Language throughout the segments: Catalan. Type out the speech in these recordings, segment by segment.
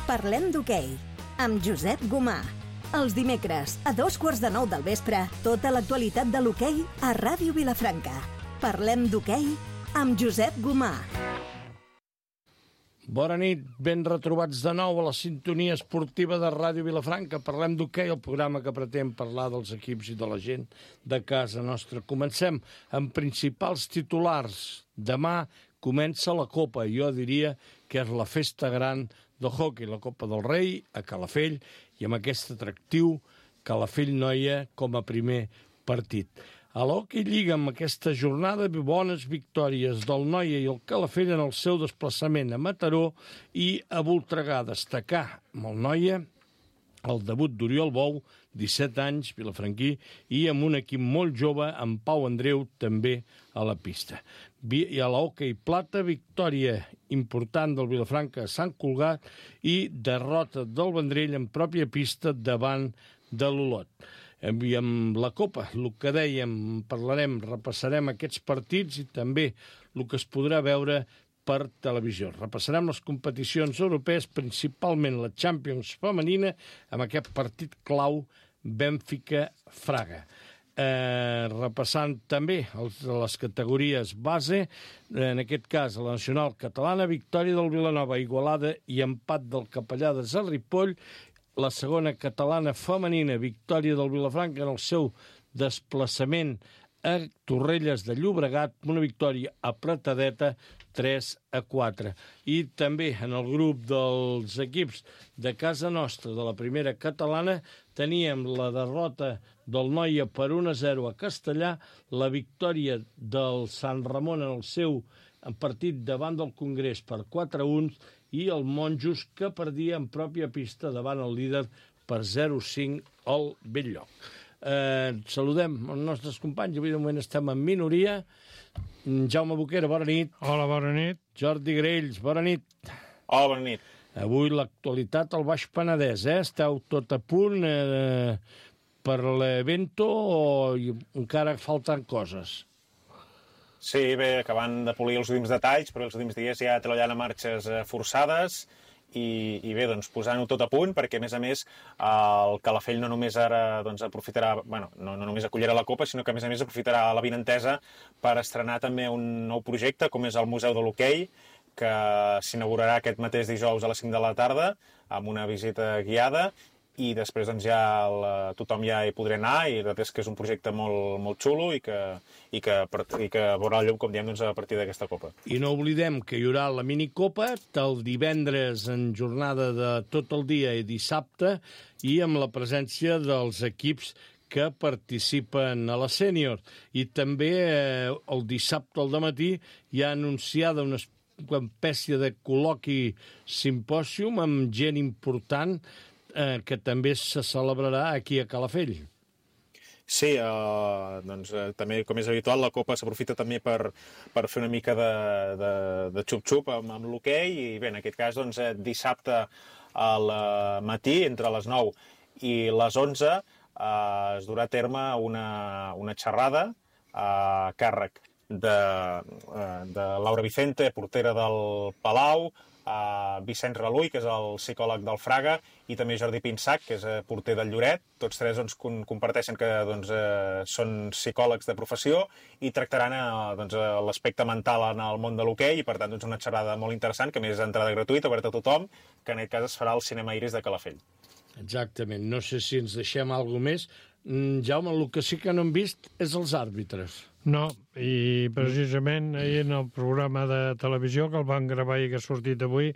Parlem d'hoquei, amb Josep Gomà. Els dimecres, a 9:15 del vespre, tota l'actualitat de l'hoquei a Ràdio Vilafranca. Parlem d'hoquei amb Josep Gomà. Bona nit, ben retrobats de nou a la sintonia esportiva de Ràdio Vilafranca. Parlem d'hoquei, el programa que pretén parlar dels equips i de la gent de casa nostra. Comencem amb principals titulars. Demà comença la Copa, jo diria que és la festa gran del hoquei, la Copa del Rei, a Calafell, i amb aquest atractiu Calafell-Noia com a primer partit. A l'Hockey Lliga, amb aquesta jornada, bones victòries del Noia i el Calafell en el seu desplaçament a Mataró i a Voltregà. Destacar amb el Noia el debut d'Oriol Bou, 17 anys, vilafranquí, i amb un equip molt jove, amb Pau Andreu, també a la pista. I a l'Hockey Plata, victòria important del Vilafranca a Sant Cugat i derrota del Vendrell en pròpia pista davant de l'Olot. I amb la Copa, el que dèiem, parlarem, repassarem aquests partits i també el que es podrà veure per televisió. Repassarem les competicions europees, principalment la Champions femenina, amb aquest partit clau Benfica-Fraga. Repassant també les categories base, en aquest cas la nacional catalana, victòria del Vilanova, Igualada i empat del Capellades a Ripoll. La segona catalana femenina, victòria del Vilafranca en el seu desplaçament a Torrelles de Llobregat, una victòria apretadeta, 3-4. I també en el grup dels equips de casa nostra, de la primera catalana, teníem la derrota del Noia per 1-0 a Castellà, la victòria del Sant Ramon en el seu partit davant del Congrés per 4-1 i el Monjos que perdia en pròpia pista davant el líder per 0-5 al Belllloc. Saludem els nostres companys, avui de moment estem en minoria. Jaume Boquera, bona nit. Hola, bona nit. Jordi Grells, bona nit. Hola, bona nit. Avui l'actualitat al Baix Penedès, Esteu tot a punt per l'evento o encara falten coses? Sí, bé, acabant de polir els últims detalls, però els últims dies ja treballant a marxes forçades i bé, doncs posant-ho tot a punt, perquè a més el Calafell no només ara doncs, aprofitarà, bueno, no només acollirà la Copa, sinó que a més aprofitarà l'avinentesa per estrenar també un nou projecte, com és el Museu de l'Hoquei, que s'inaugurarà aquest mateix dijous a les 5 de la tarda, amb una visita guiada, i després doncs, ja tothom ja hi podrà anar, i la veritat és que és un projecte molt xulo i que veurà el llum, com diem, doncs, a partir d'aquesta Copa. I no oblidem que hi haurà la minicopa el divendres en jornada de tot el dia i dissabte, i amb la presència dels equips que participen a la sènior. I també el dissabte al dematí hi ha anunciada una espècie de col·loqui simpòsium amb gent important que també se celebrarà aquí a Calafell. Sí, doncs també, com és habitual, la Copa s'aprofita també per fer una mica de xup-xup amb l'hoquei, i bé, en aquest cas, doncs, dissabte al matí, entre les 9 i les 11, es durà a terme una xerrada a càrrec de Laura Vicente, portera del Palau, Vicent Relull, que és el psicòleg del Fraga, i també Jordi Pinsac, que és porter del Lloret. Tots tres doncs, comparteixen que doncs, són psicòlegs de professió i tractaran doncs, l'aspecte mental en el món de l'hoquei, i per tant doncs, una xerrada molt interessant, que a més és entrada gratuïta, oberta a tothom, que en aquest cas es farà al Cinema Iris de Calafell. Exactament, no sé si ens deixem alguna més. Jaume, el que sí que no hem vist és els àrbitres. No, i precisament ahir en el programa de televisió que el van gravar i que ha sortit avui,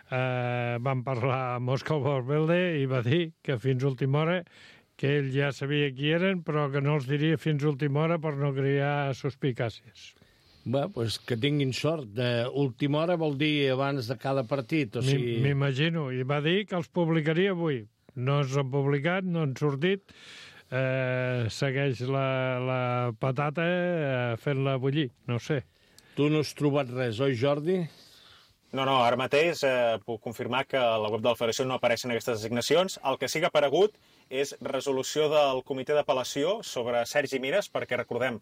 van parlar amb Òscar Valverde i va dir que fins a última hora que ell ja sabia qui eren, però que no els diria fins a última hora per no crear suspicàcies. Bé, doncs que tinguin sort. Última hora vol dir abans de cada partit, o sigui... M'imagino, i va dir que els publicaria avui. No s'han publicat, no han sortit, segueix la patata fent-la bullir, no sé. Tu no has trobat res, oi, Jordi? No, ara mateix puc confirmar que a la web de la Federació no apareixen aquestes designacions. El que sí que ha aparegut és resolució del comitè d'apel·lació sobre Sergi Mires, perquè recordem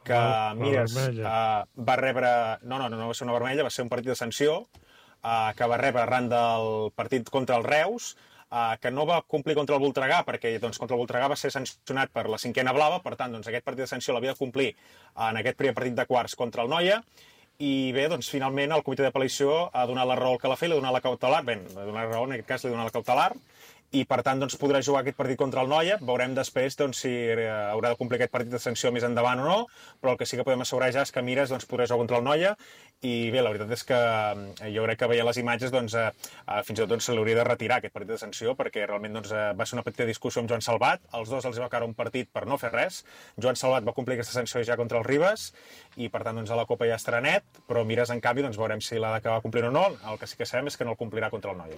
que Mires va rebre... No va ser una vermella, va ser un partit de sanció que va rebre arran del partit contra el Reus, que no va complir contra el Voltregà, perquè doncs, contra el Voltregà va ser sancionat per la 5a blava, per tant, doncs, aquest partit de sanció l'havia de complir en aquest primer partit de quarts contra el Noia, i bé, doncs, finalment el comitè d'apel·lació ha donat la raó al Calafell, li ha donat la cautelar, bé, ha donat la raó, en aquest cas li ha donat la cautelar, i per tant doncs, podrà jugar aquest partit contra el Noia. Veurem després doncs, si haurà de complir aquest partit de sanció més endavant o no, però el que sí que podem assegurar ja és que Mires doncs, podrà jugar contra el Noia, i bé, la veritat és que jo crec que veient les imatges doncs, fins i tot doncs, se l'hauria de retirar aquest partit de sanció, perquè realment doncs, va ser una petita discussió amb Joan Salvat, els dos els va caure un partit per no fer res, Joan Salvat va complir aquesta sanció ja contra el Ribes, i per tant doncs, a la Copa ja estarà net, però Mires en canvi doncs, veurem si l'ha d'acabar complint o no, el que sí que sabem és que no el complirà contra el Noia.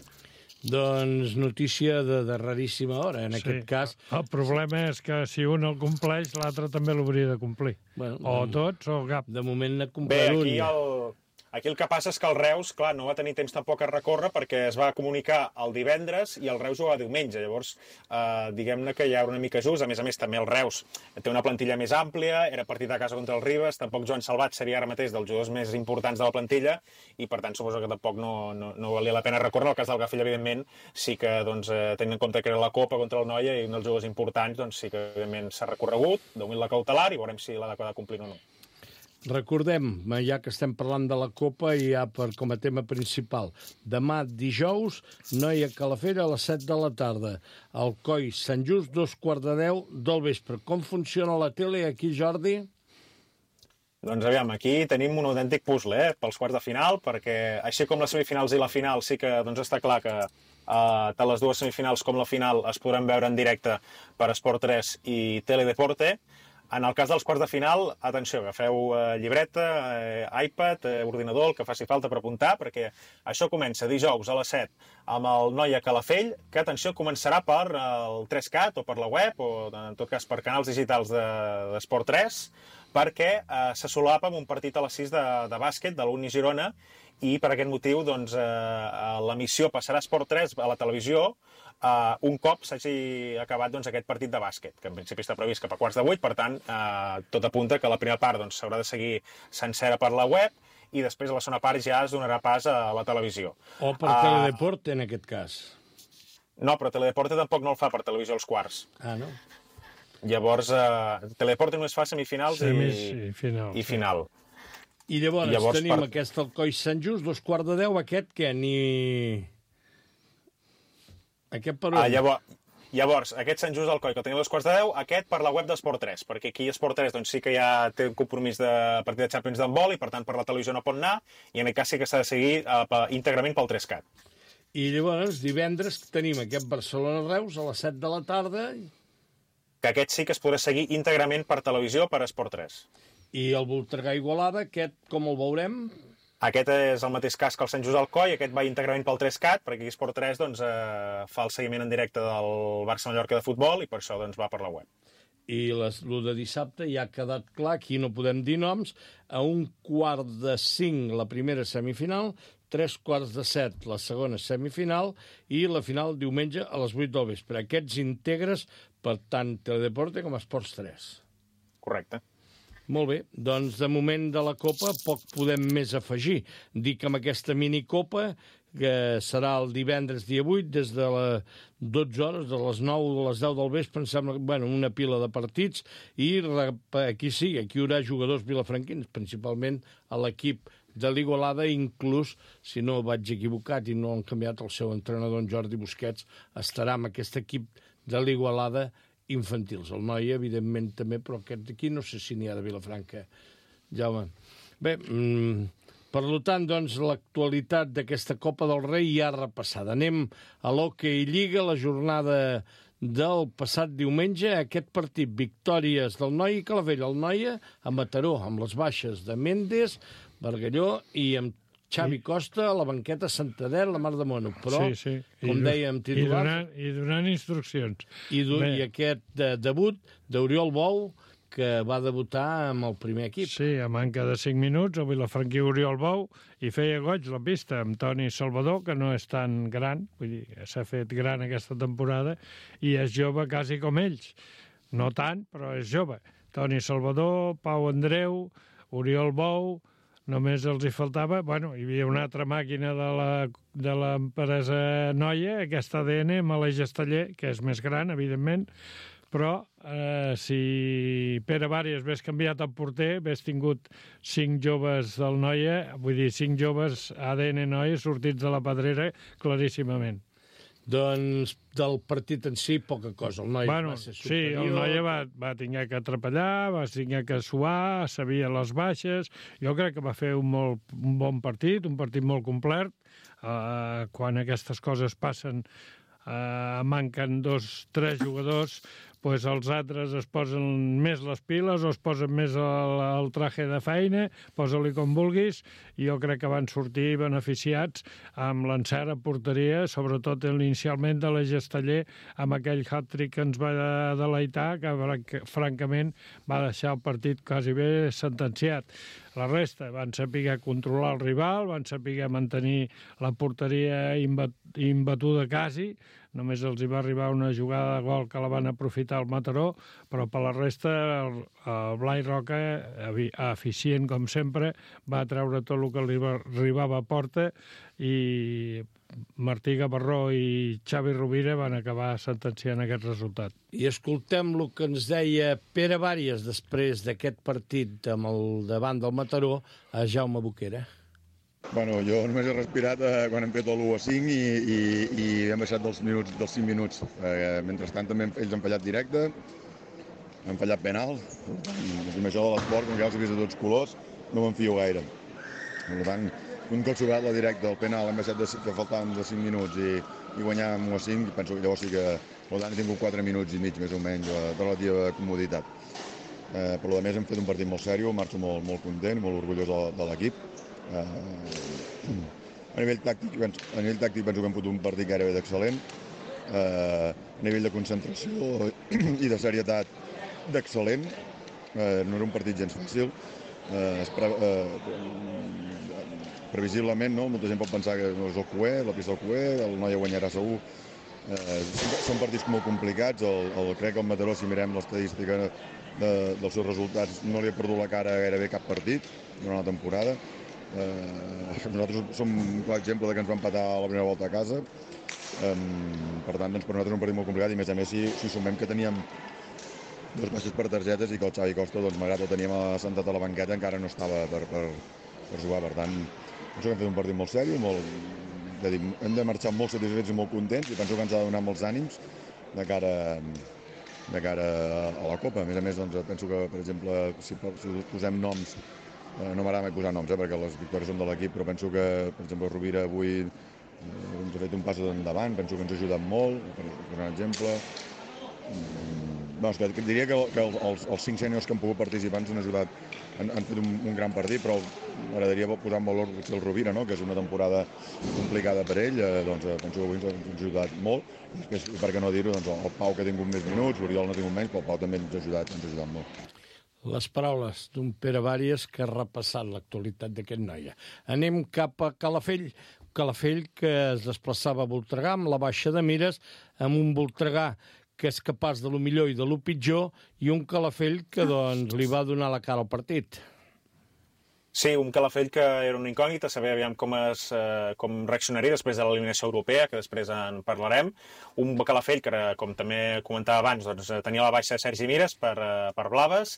Doncs notícia de raríssima hora, en aquest cas. El problema és que si un el compleix, l'altre també l'hauria de complir. Bueno, o tots o cap. De moment n'ha complert un. Bé, aquí el que passa és que el Reus, clar, no va tenir temps tampoc a recórrer perquè es va comunicar el divendres i el Reus jugava diumenge. Llavors, diguem-ne que hi ha una mica just. A més, també el Reus té una plantilla més àmplia, era partit a casa contra el Ribes, tampoc Joan Salvat seria ara mateix dels jugadors més importants de la plantilla i, per tant, suposo que tampoc no valia la pena recórrer. En el cas del Gafell, evidentment, sí que, doncs, tenint en compte que era la Copa contra el Noia i un dels jugadors importants, doncs sí que, evidentment, s'ha recorregut, de moment la cautelar, i veurem si l'ha de complir o no. Recordem, ja que estem parlant de la Copa i ja com a tema principal, demà dijous, Noia Calafell a les 7 de la tarda, Alcoi Sant Just, 9:15 del vespre. Com funciona la tele aquí, Jordi? Doncs aviam, aquí tenim un autèntic puzzle pels quarts de final, perquè així com les semifinals i la final sí que doncs, està clar que tant les dues semifinals com la final es podran veure en directe per Esport 3 i Teledeporte. En el cas dels quarts de final, atenció, agafeu llibreta, iPad, ordinador, el que faci falta per apuntar, perquè això comença dijous a les 7 amb el Noia Calafell, que, atenció, començarà per el 3CAT o per la web, o en tot cas per canals digitals d'Esport 3, perquè se solapa amb un partit a les 6 de bàsquet de l'Uni Girona, i per aquest motiu doncs, l'emissió passarà a Esport 3 a la televisió un cop s'hagi acabat doncs, aquest partit de bàsquet, que en principi està previst cap a 7:15, per tant, tot apunta que la primera part doncs, s'haurà de seguir sencera per la web i després a la segona part ja es donarà pas a la televisió. O per Teledeporte, en aquest cas. No, però Teledeporte tampoc no el fa per televisió als quarts. No? Llavors, Teledeporte només fa semifinals i final. I llavors tenim aquest Alcoi Sant Just, 9:15, aquest què? Aquest per on? Llavors, aquest Sant Just Alcoi, que el tenim a 9:15, aquest per la web d'Esport 3, perquè aquí Esport 3 doncs, sí que ja té un compromís de partit de Champions d'handbol i per tant per la televisió no pot anar, i en aquest cas sí que s'ha de seguir íntegrament pel 3CAT. I llavors, divendres tenim aquest Barcelona-Reus a les 7 de la tarda. Que aquest sí que es podrà seguir íntegrament per televisió per Esport 3. I el Voltregà-Igualada, aquest com el veurem? Aquest és el mateix cas que el Sant Just Alcoi, aquest va íntegrament pel 3CAT, perquè aquí Esport 3 doncs, fa el seguiment en directe del Barça-Mallorca de futbol i per això doncs, va per la web. I el de dissabte ja ha quedat clar, aquí no podem dir noms, a 1:45 la primera semifinal, 3:45 la segona semifinal i la final diumenge a les 8 del vespre. Aquests integres per tant Teledeporte com Esports 3. Correcte. Molt bé, doncs de moment de la Copa poc podem més afegir. Dic que amb aquesta minicopa, que serà el divendres dia 8, des de les 12 hores, de les 9 a les 10 del vespre, em sembla, una pila de partits, i aquí sí, aquí hi haurà jugadors vilafranquins, principalment a l'equip de l'Igualada, inclús, si no vaig equivocat i no han canviat el seu entrenador, en Jordi Busquets, estarà amb aquest equip de l'Igualada infantils. El Noia, evidentment, també, però aquest d'aquí no sé si n'hi ha de Vilafranca. Jaume. Bé, per tant, doncs, l'actualitat d'aquesta Copa del Rei ja repassada. Anem a l'Hockey Lliga, la jornada del passat diumenge, aquest partit, victòries del Noia i Calafell. El Noia a Mataró, amb les baixes de Méndez, Bargalló i amb Xavi Costa a la banqueta Santander, la Mar de Mono, però, com dèiem, titular... I donant instruccions. I aquest debut d'Oriol Bou, que va debutar amb el primer equip. Sí, a manca de 5 minuts, el vilafranquí Oriol Bou, i feia goig la pista amb Toni Salvador, que no és tan gran, vull dir, s'ha fet gran aquesta temporada, i és jove quasi com ells. No tant, però és jove. Toni Salvador, Pau Andreu, Oriol Bou, només els hi faltava... Bueno, hi havia una altra màquina de l'empresa Noia, aquesta ADN, amb l'Eix Esteller, que és més gran, evidentment, però si Pere Bàries hagués canviat el porter, hagués tingut 5 joves del Noia, vull dir, 5 joves ADN Noia sortits de la pedrera claríssimament. Doncs del partit en si, poca cosa. El Noia va ser superior. Sí, el Noia va tenir que atrapallar, va tenir que suar, sabia les baixes. Jo crec que va fer un bon partit, un partit molt complet. Quan aquestes coses passen, manquen 2-3 jugadors, doncs els altres es posen més les piles o es posen més el traje de feina, posa-li com vulguis, i jo crec que van sortir beneficiats amb l'encert a porteria, sobretot inicialment de l'Eix Esteller, amb aquell hat-trick que ens va deleitar, que francament va deixar el partit quasi bé sentenciat. La resta van saber controlar el rival, van saber mantenir la porteria imbatuda quasi, només els hi va arribar una jugada de gol que la van aprofitar al Mataró, però per la resta el Blai Roca, eficient com sempre, va treure tot el que li arribava a porta, i Martí Gavarró i Xavi Rovira van acabar sentenciant aquest resultat. I escoltem el que ens deia Pere Bàries després d'aquest partit amb el davant del Mataró a Jaume Boquera. Bueno, jo només he respirat quan hem fet l'1-5 i hem baixat dels 5 minuts. Mentrestant també ells han fallat directe, han fallat penal. Amb això de l'esport, com ja els he vist de tots colors, no me'n fio gaire. Per tant, un cop sobrat la directa, el penal, hem baixat que faltaven de 5 minuts i guanyar amb 1-5, penso que llavors sí que he tingut 4 minuts i mig, més o menys, de relativa comoditat. Per lo més hem fet un partit molt seriós, marxo molt content, molt orgullós de l'equip. A nivell tàctic penso que hem fotut un partit gairebé d'excel·lent, a nivell de concentració i de serietat d'excel·lent. No era un partit gens fàcil, previsiblement, no? Molta gent pot pensar que no és el Cué, la pista del Cué, el Noia guanyarà segur. Són partits molt complicats. Crec que el Mataró, si mirem l'estadística dels seus resultats, no li ha perdut la cara gairebé cap partit durant la temporada. Nosaltres som un clar exemple que ens va empatar a la primera volta a casa. Per tant, per nosaltres és un partit molt complicat, i a més si sumem que teníem 2 baixes per targetes i que el Xavi Costa, malgrat que el teníem assentat a la banqueta, encara no estava per jugar. Per tant, penso que hem fet un partit molt seriós, hem de marxar molt satisfets i molt contents, i penso que ens ha de donar molts ànims de cara a la Copa. A més, penso que, per exemple, si posem noms, no m'agrada mai posar noms, perquè les victòries són de l'equip, però penso que, per exemple, Rovira avui ens ha fet un pas endavant, penso que ens ha ajudat molt, per un exemple. Diria que els 5 sèniors que han pogut participar ens han ajudat, han fet un gran partit, però m'agradaria posar en valor el Rovira, que és una temporada complicada per ell, doncs penso que avui ens ha ajudat molt. Després, per què no dir-ho, el Pau, que ha tingut més minuts, l'Oriol no ha tingut menys, però el Pau també ens ha ajudat molt. Les paraules d'un Pere Bàries que ha repassat l'actualitat d'aquest Noia. Anem cap a Calafell. Calafell, que es desplaçava a Voltregà amb la baixa de mires, amb un Voltregà que és capaç de lo millor i de lo pitjor, i un Calafell que doncs, li va donar la cara al partit. Sí, un Calafell que era una incògnita, saber aviam com reaccionaria després de l'eliminació europea, que després en parlarem. Un Calafell que, com també comentava abans, doncs, tenia la baixa de Sergi Mires per Blaves.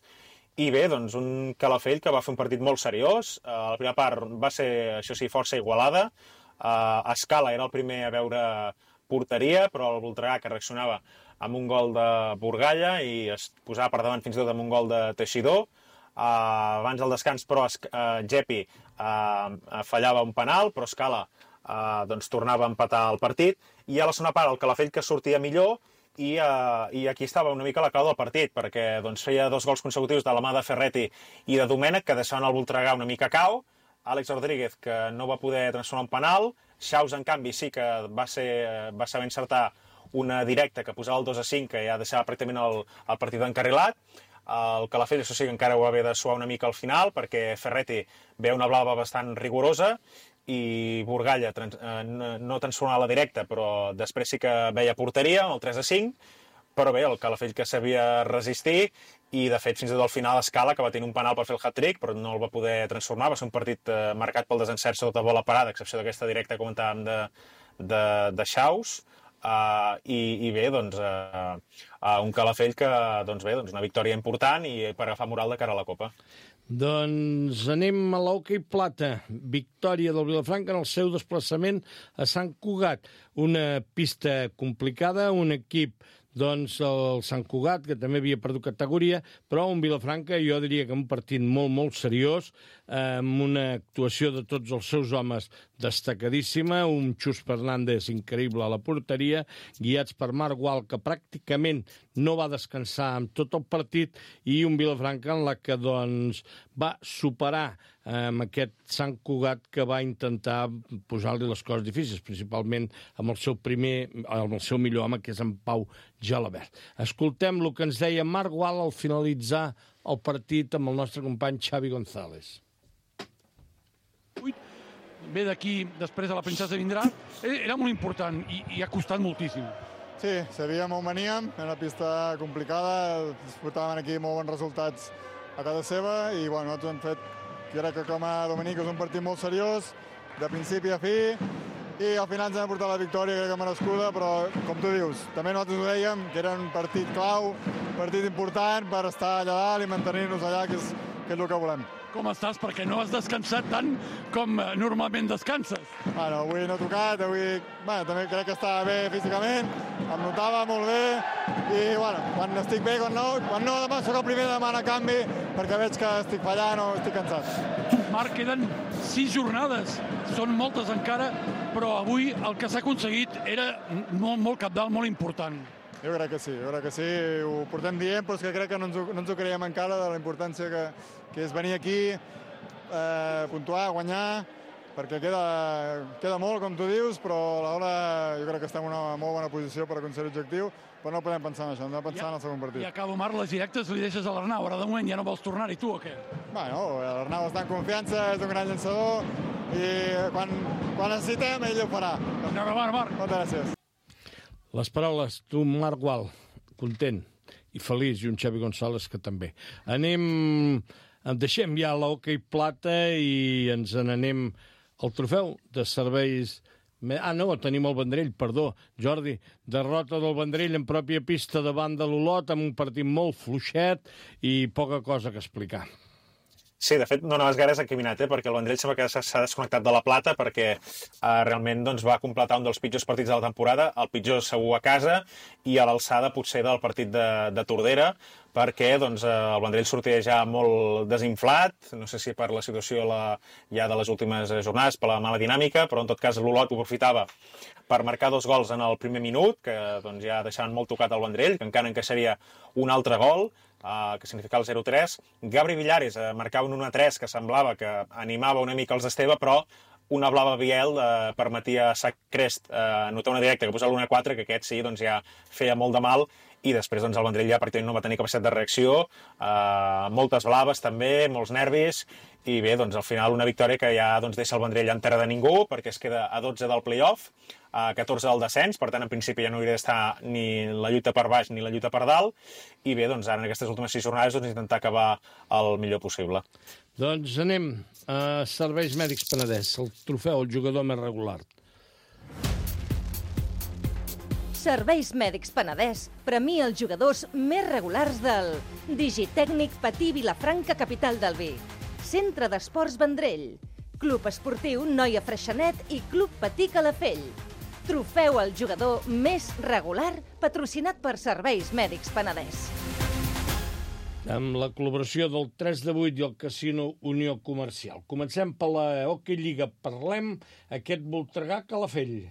I bé, doncs, un Calafell que va fer un partit molt seriós. La primera part va ser, això sí, força igualada. Escala era el primer a veure porteria, però el Voltregà, que reaccionava amb un gol de Burgalla i es posava per davant fins i tot amb un gol de Teixidor. Abans del descans, però, Gepi fallava un penal, però Escala doncs, tornava a empatar el partit. I a la segona part, el Calafell que sortia millor, i aquí estava una mica la clau del partit, perquè doncs, feia 2 gols consecutius de la mà de Ferretti i de Domènech, que deixaven el Voltregà una mica cau. Àlex Rodríguez, que no va poder transformar un penal. Xaus, en canvi, sí que va saber encertar una directa que posava el 2-5, que ja deixava pràcticament el partit encarrilat. El Calafell, això sí que encara ho va haver de suar una mica al final, perquè Ferretti ve una blava bastant rigorosa, i Burgalla no transformava la directa, però després sí que veia porteria, el 3-5, però bé, el Calafell que sabia resistir, i de fet fins i tot al final Escala, que va tenir un penal per fer el hat-trick, però no el va poder transformar, va ser un partit marcat pel desencert sota bola parada, a excepció d'aquesta directa que comentàvem de Xaus, i bé, doncs, un Calafell que, doncs bé, doncs una victòria important i per agafar moral de cara a la Copa. Doncs anem a l'hoquei plata. Victòria del Vilafranca en el seu desplaçament a Sant Cugat. Una pista complicada, un equip, doncs, el Sant Cugat, que també havia perdut categoria, però un Vilafranca, jo diria que un partit molt, molt seriós, amb una actuació de tots els seus homes destacadíssima, un Xus Fernández increïble a la porteria, guiats per Marc Gual, que pràcticament no va descansar amb tot el partit, i un Vilafranca en la que, doncs, va superar amb aquest Sant Cugat que va intentar posar-li les coses difícils, principalment amb el seu millor home, que és en Pau Gelabert. Escoltem el que ens deia Marc Gual al finalitzar el partit amb el nostre company Xavi González. Ve d'aquí, després de la Princesa vindrà, era molt important i ha costat moltíssim. Sí, sabíem on veníem, era una pista complicada, portaven aquí molt bons resultats a casa seva i bueno, nosaltres hem fet, crec que com a dominic és un partit molt seriós, de principi a fi, i al final ens hem portat la victòria, crec que merescuda, però com tu dius, també nosaltres ho dèiem, que era un partit clau, partit important per estar allà dalt i mantenir-nos allà, que és el que volem. Com estàs? Perquè no has descansat tant com normalment descanses. Bueno, avui no he tocat, avui també crec que estava bé físicament, em notava molt bé, i bueno, quan estic bé, quan no demà soc el primer de demanar canvi, perquè veig que estic fallant o estic cansat. Marc, queden 6 jornades, són moltes encara, però avui el que s'ha aconseguit era molt cabdal, molt important. Jo crec que sí, ho portem dient, però és que crec que no ens ho creiem encara de la importància que és venir aquí, puntuar, guanyar, perquè queda molt, com tu dius, però alhora jo crec que estem en una molt bona posició per aconseguir l'objectiu, però no podem pensar en això, hem de pensar en el segon partit. I acabo, Marc, les directes li deixes a l'Arnau, ara de moment ja no vols tornar-hi, tu o què? Bueno, l'Arnau està en confiança, és un gran llançador, i quan necessitem ell ho farà. Endavant, Marc. Moltes gràcies. Les paraules, tu, Marc Gual, content i feliç, i un Xavi González que també. Deixem ja l'hoquei plata i ens n'anem al trofeu de serveis... no, tenim el Vendrell, perdó, Jordi. Derrota del Vendrell en pròpia pista davant de l'Olot, amb un partit molt fluixet i poca cosa que explicar. Sí, de fet, no anaves gaire encaminat, perquè el Vendrell sembla que s'ha desconnectat de la plata perquè realment doncs, va completar un dels pitjors partits de la temporada, el pitjor segur a casa i a l'alçada potser del partit de Tordera, perquè doncs, el Vendrell sortia ja molt desinflat, no sé si per la situació ja de les últimes jornades, per la mala dinàmica, però en tot cas l'Olot ho aprofitava per marcar 2 gols en el primer minut, que doncs, ja deixaven molt tocat el Vendrell, que encara encaixaria un altre gol, que significava el 0-3. Gabri Villares marcava un 1-3 que semblava que animava una mica els d'Esteve, però una blava Biel permetia a Sacrest anotar una directa que posa l'1-4, que aquest sí, doncs, ja feia molt de mal, i després doncs, el Vendrell ja pràcticament no va tenir capacitat de reacció, moltes blaves també, molts nervis, i bé, doncs al final una victòria que ja doncs, deixa el Vendrell en terra de ningú, perquè es queda a 12 del play-off, a 14 del descens, per tant en principi ja no hauria d'estar ni la lluita per baix ni la lluita per dalt, i bé, doncs ara en aquestes últimes 6 jornades doncs, intentar acabar el millor possible. Doncs anem a Serveis Mèdics Penedès, el trofeu, el jugador més regular. Serveis Mèdics Penedès premia els jugadors més regulars del Digitècnic Patí Vilafranca, capital del vi, Centre d'Esports Vendrell, Club Esportiu Noia Freixenet i Club Patí Calafell. Trofeu al jugador més regular patrocinat per Serveis Mèdics Penedès. Amb la col·laboració del 3 de 8 i el Casino Unió Comercial. Comencem per la Hockey Lliga. Parlem aquest Voltregà Calafell.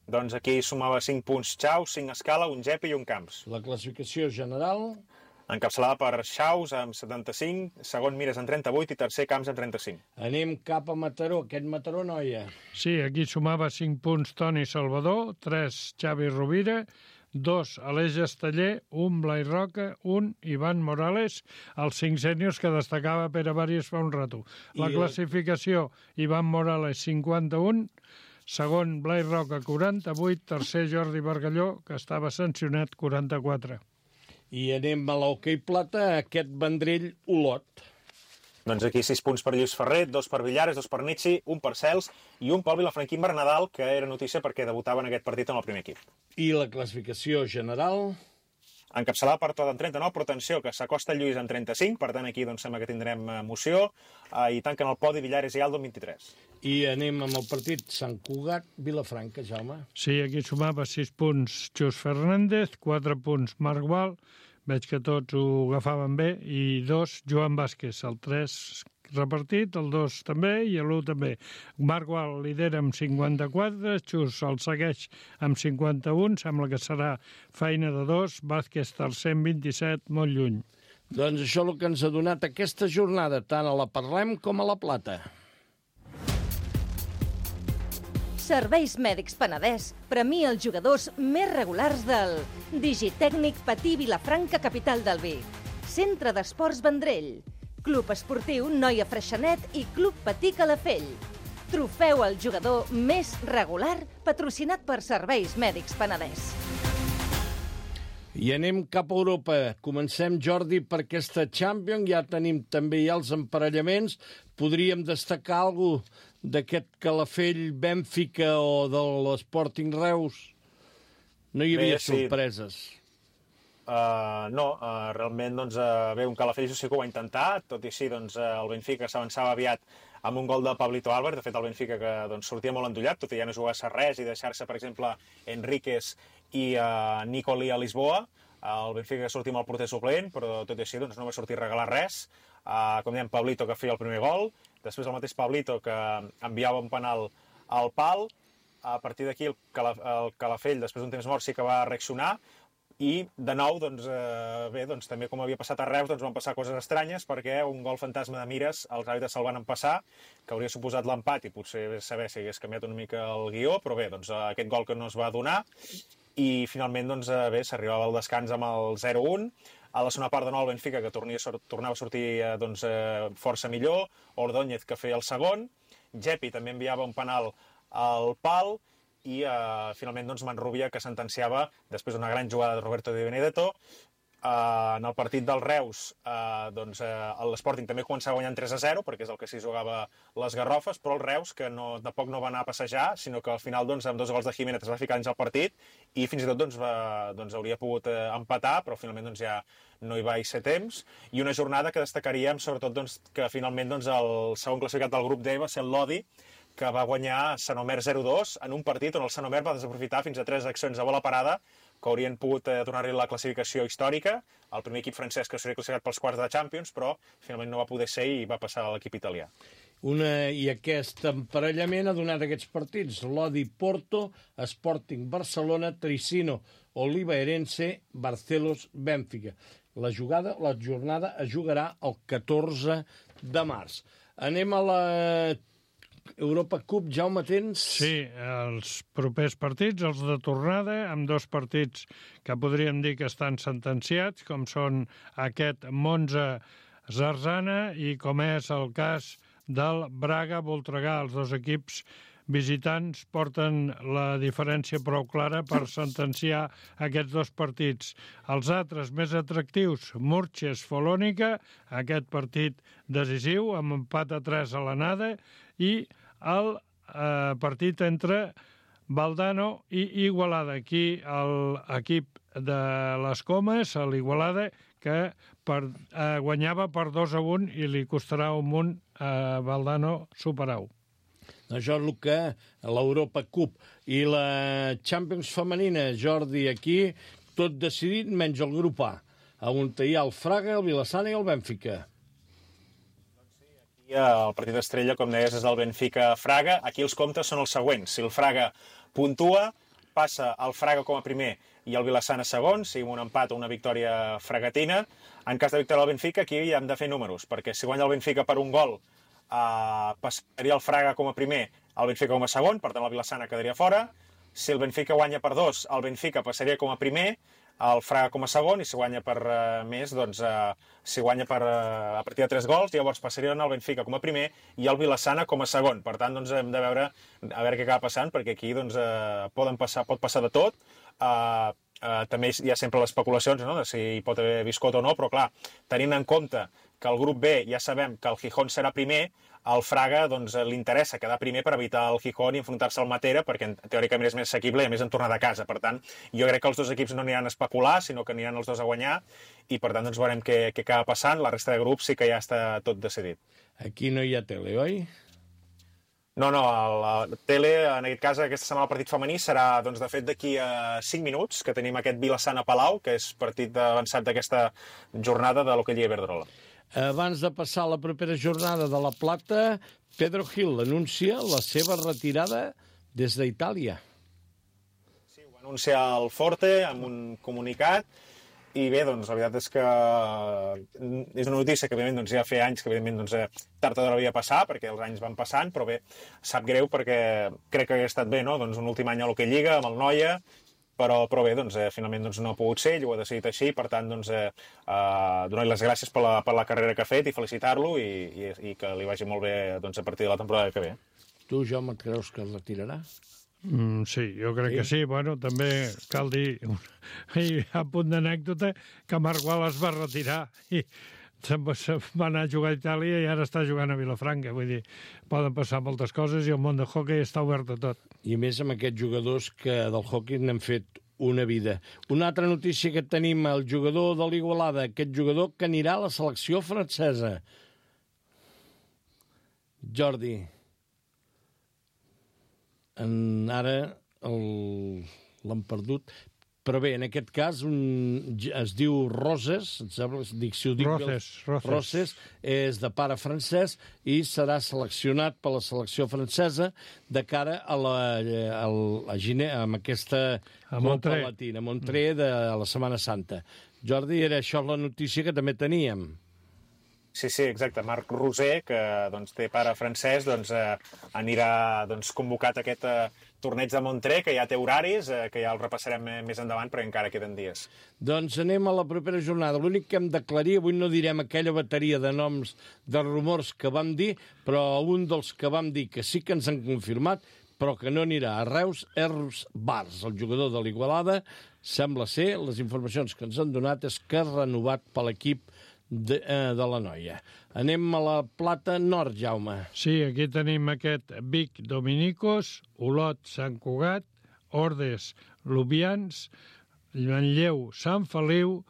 Doncs aquí sumava 5 punts Xaus, 5 Escala, un Gepi i un Camps. La classificació general... Encapçalada per Xaus amb 75, segon Mires amb 38 i tercer Camps amb 35. Anem cap a Mataró, aquest Mataró noia. Sí, aquí sumava 5 punts Toni Salvador, 3 Xavi Rovira, 2 Aleix Esteller, 1 Blai Roca, 1 Ivan Morales, els 5 sèniors que destacava Pere Varies fa un rato. La classificació, Ivan Morales 51, segon Blai Roca, 48, tercer Jordi Bargalló, que estava sancionat, 44. I anem a l'hoquei plata, aquest Vendrell Olot. Doncs aquí 6 punts per Lluís Ferrer, 2 per Villares, 2 per Nietzsche, 1 per Cels i 1 pel Vilafranquín Bernadal, que era notícia perquè debutava en aquest partit en el primer equip. I la classificació general? Encapçalada per tot en 39, però atenció, que s'acosta Lluís en 35, per tant aquí doncs, sembla que tindrem emoció, i tanquen el podi Villares i Aldo en 23. I anem amb el partit Sant Cugat-Vilafranca, Jaume. Sí, aquí sumava 6 punts Xus Fernández, 4 punts Marc Gual, veig que tots ho agafaven bé, i 2 Joan Vázquez, el 3 repartit, el 2 també i l'1 també. Marc Gual lidera amb 54, Xus el segueix amb 51, sembla que serà feina de 2, Vázquez tercer amb 27, molt lluny. Doncs això és el que ens ha donat aquesta jornada, tant a la Parlem com a la Plata. Serveis Mèdics Penedès premia els jugadors més regulars del Digitècnic Patí Vilafranca, capital del vi. Centre d'Esports Vendrell. Club Esportiu Noia Freixenet i Club Patí Calafell. Trofeu al jugador més regular patrocinat per Serveis Mèdics Penedès. I anem cap a Europa. Comencem, Jordi, per aquesta Champions. Ja tenim també els emparellaments. Podríem destacar alguna cosa d'aquest Calafell Bènfica o de l'Sporting Reus? No hi havia sorpreses. Realment, doncs, un Calafell sí que ho ha intentat, tot i així, doncs, el Benfica s'avançava aviat amb un gol de Pablito Álvarez. De fet, el Benfica que doncs, sortia molt endollat, tot i ja no jugar-se res i deixar-se, per exemple, Enríquez i Nicoli a Lisboa. El Benfica que sortia amb el porter suplent, però tot i així doncs, no va sortir a regalar res. Com dèiem, Pablito que feia el primer gol, després el mateix Pablito que enviava un penal al pal. A partir d'aquí el Calafell, després d'un temps mort, sí que va reaccionar. I, de nou, doncs, també com havia passat a Reus, doncs van passar coses estranyes, perquè un gol fantasma de Mires els àrbitres se'l van empassar, que hauria suposat l'empat i potser saber si hagués canviat una mica el guió, però bé, doncs, aquest gol que no es va donar. I finalment, doncs, s'arribava al descans amb el 0-1. A la segona part de nou el Benfica, que tornava a sortir força millor, Ordóñez que feia el segon, Gepi també enviava un penal al pal, i finalment doncs, Manrubia que sentenciava després d'una gran jugada de Roberto Di Benedetto. En el partit del Reus, l'Sporting també començava guanyant 3-0, perquè és el que s'hi jugava les garrofes, però el Reus, que tampoc no va anar a passejar, sinó que al final, doncs, amb 2 gols de Jiménez es va ficar dins el partit, i fins i tot hauria pogut empatar, però finalment doncs, ja no hi va ser temps. I una jornada que destacaríem, sobretot, doncs, que finalment doncs, el segon classificat del grup D va ser el Lodi, que va guanyar Sant Omer 0-2 en un partit on el Sant Omer va desaprofitar fins a 3 accions a bola parada que haurien pogut donar-li la classificació històrica, el primer equip francès que s'hauria classificat pels quarts de Champions, però finalment no va poder ser i va passar a l'equip italià. I aquest emparellament ha donat aquests partits: Lodi-Porto, Sporting Barcelona, Tricino, Oliva-Erense, Barcelos-Bènfica. La jornada es jugarà el 14 de març. Anem a la Europa Cup, Jaume, tens? Sí, els propers partits, els de tornada, amb 2 partits que podríem dir que estan sentenciats, com són aquest Monza-Zarzana i com és el cas del Braga-Voltregà. Els 2 equips visitants porten la diferència prou clara per sentenciar aquests 2 partits. Els altres més atractius, Murches-Folònica, aquest partit decisiu, amb empat a 3 a l'anada, i el partit entre Valdano i Igualada. Aquí l'equip de les Comes, l'Igualada, que guanyava per 2-1 i li costarà un munt a Valdano superar-ho. Això és el que l'Europa Cup i la Champions femenina, Jordi, aquí tot decidit menys el grup A, on hi ha el Fraga, el Vilassana i el Bènfica. El partit d'estrella, com deies, és el Benfica-Fraga. Aquí els comptes són els següents. Si el Fraga puntua, passa el Fraga com a primer i el Vilassana segon, sigui un empat o una victòria fragatina. En cas de victòria del Benfica, aquí hem de fer números, perquè si guanya el Benfica per un gol, passaria el Fraga com a primer, el Benfica com a segon, per tant el Vilassana quedaria fora. Si el Benfica guanya per 2, el Benfica passaria com a primer, el Fraga com a segon, i si guanya per més, doncs, si guanya a partir de 3 gols, llavors passarien el Benfica com a primer i el Vilassana com a segon. Per tant, doncs, hem de veure a veure què acaba passant, perquè aquí doncs, pot passar de tot. També hi ha sempre les especulacions, no?, de si hi pot haver biscot o no, però clar, tenint en compte que el grup B ja sabem que el Gijón serà primer, al Fraga doncs, li interessa quedar primer per evitar el Gijón i enfrontar-se al Matera, perquè teòricament és més assequible i a més en tornar de casa. Per tant, jo crec que els dos equips no aniran a especular, sinó que aniran els dos a guanyar, i per tant doncs, veurem què acaba passant. La resta de grups sí que ja està tot decidit. Aquí no hi ha tele, oi? No, la tele, en aquest cas, aquesta setmana el partit femení serà, doncs, de fet, d'aquí a 5 minuts, que tenim aquest Vilassana-Palau, que és partit avançat d'aquesta jornada de l'Hockey Lliga Iberdrola. Abans de passar a la propera jornada de La Plata, Pedro Gil anuncia la seva retirada des d'Itàlia. Sí, ho anuncia el Forte amb un comunicat, i bé, doncs, la veritat és que és una notícia que, evidentment, doncs, ja feia anys que, evidentment, doncs, tard o d'hora havia passar, perquè els anys van passant, però bé, sap greu perquè crec que ha estat bé, no?, doncs, un últim any a l'Hockey Lliga, amb el Noia, però bé, doncs, finalment doncs, no ha pogut ser, ell ho ha decidit així, per tant, doncs, donar-li les gràcies per la carrera que ha fet i felicitar-lo i que li vagi molt bé, doncs, a partir de la temporada que ve. Tu, Jaume, et creus que es retirarà? Sí, jo crec que sí. Bueno, també cal dir, a punt d'anècdota, que Marc Wallace va retirar i se'n va anar a jugar a Itàlia i ara està jugant a Vilafranca. Vull dir, poden passar moltes coses i el món del hoquei està obert a tot. I a més amb aquests jugadors que del hoquei n'han fet una vida. Una altra notícia que tenim, el jugador de l'Igualada, aquest jugador que anirà a la selecció francesa. Jordi. Ara l'han perdut. Però bé, en aquest cas es diu Roses, Roses, és de pare francès i serà seleccionat per la selecció francesa de cara a aquesta Copa Latina, Montré, de la Setmana Santa. Jordi, era això la notícia que també teníem. Sí, exacte. Marc Roser, que doncs, té pare francès, doncs, anirà convocat a aquest torneig de Montré, que ja té horaris, que ja el repassarem més endavant, però encara queden dies. Doncs anem a la propera jornada. L'únic que hem d'aclarir, avui no direm aquella bateria de noms de rumors que vam dir, però un dels que vam dir que sí que ens han confirmat, però que no anirà a Reus, és Bars, el jugador de l'Igualada. Sembla ser, les informacions que ens han donat, és que ha renovat per l'equip de la Noia. Anem a la Plata Nord, Jaume. Sí, aquí tenim aquest Vic Dominicos, Olot Sant Cugat, Ordes Lubians, Manlleu Sant Feliu,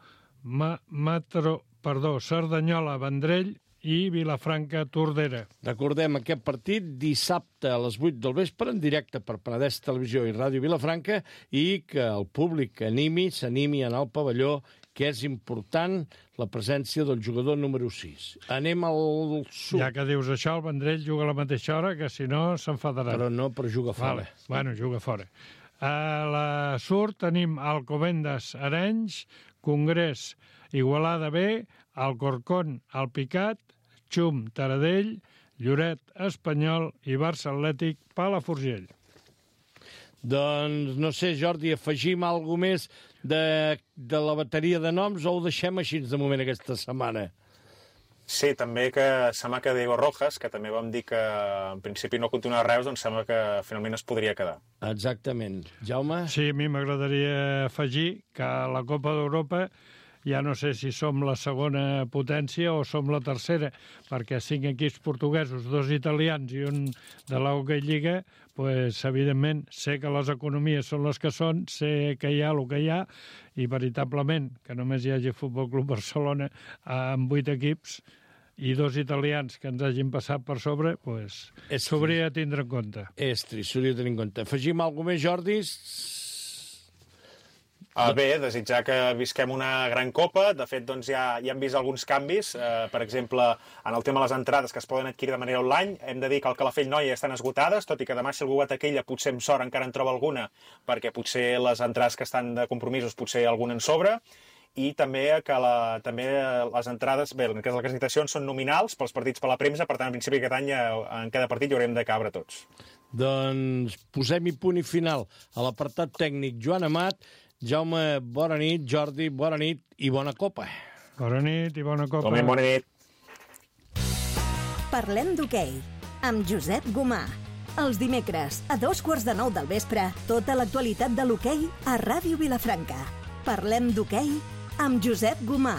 Cerdanyola Vendrell i Vilafranca Tordera. Recordem aquest partit dissabte a les 8 del vespre en directe per Penedès Televisió i Ràdio Vilafranca i que el públic s'animi a anar al pavelló, que és important la presència del jugador número 6. Anem al sud. Ja que dius això, el Vendrell juga a la mateixa hora, que si no s'enfadarà. Però juga fora. Bueno, juga fora. A la sud tenim Alcobendas Arenys, Congrés Igualada B, Alcorcón Alpicat, Xum Taradell, Lloret Espanyol i Barça Atlètic Palafrugell. Doncs, no sé, Jordi, afegim alguna més de la bateria de noms o ho deixem així de moment aquesta setmana? Sí, també que sembla que Diego Rojas, que també vam dir que en principi no continua a Reus, doncs sembla que finalment es podria quedar. Exactament. Jaume? Sí, a mi m'agradaria afegir que a la Copa d'Europa ja no sé si som la segona potència o som la tercera, perquè 5 equips portuguesos, 2 italians i un de la Hockey Lliga, pues, evidentment, sé que les economies són les que són, sé que hi ha el que hi ha, i veritablement que només hi hagi Futbol Club Barcelona amb 8 equips i 2 italians que ens hagin passat per sobre, pues, s'hauria de tindre en compte. És trist, s'hauria de tenir en compte. Afegim alguna més, Jordi? Bé, desitjar que visquem una gran copa. De fet, doncs, ja hem vist alguns canvis. Per exemple, en el tema de les entrades que es poden adquirir de manera online, hem de dir que al Calafell Noia estan esgotades, tot i que demà si algú va a Taquella potser amb sort encara en troba alguna, perquè potser les entrades que estan de compromisos potser alguna en sobre, i també que també les entrades, bé, en cas de les acreditacions són nominals pels partits per la premsa, per tant, en principi aquest any en cada partit hi haurem de cabre tots. Doncs posem-hi punt i final a l'apartat tècnic Joan Amat. Jaume, bona nit. Jordi, bona nit i bona copa. Bona nit i bona copa. Tomem, bona nit. Parlem d'hoquei, amb Josep Gomà. Els dimecres, a 8:45 del vespre, tota l'actualitat de l'hoquei a Ràdio Vilafranca. Parlem d'hoquei amb Josep Gomà.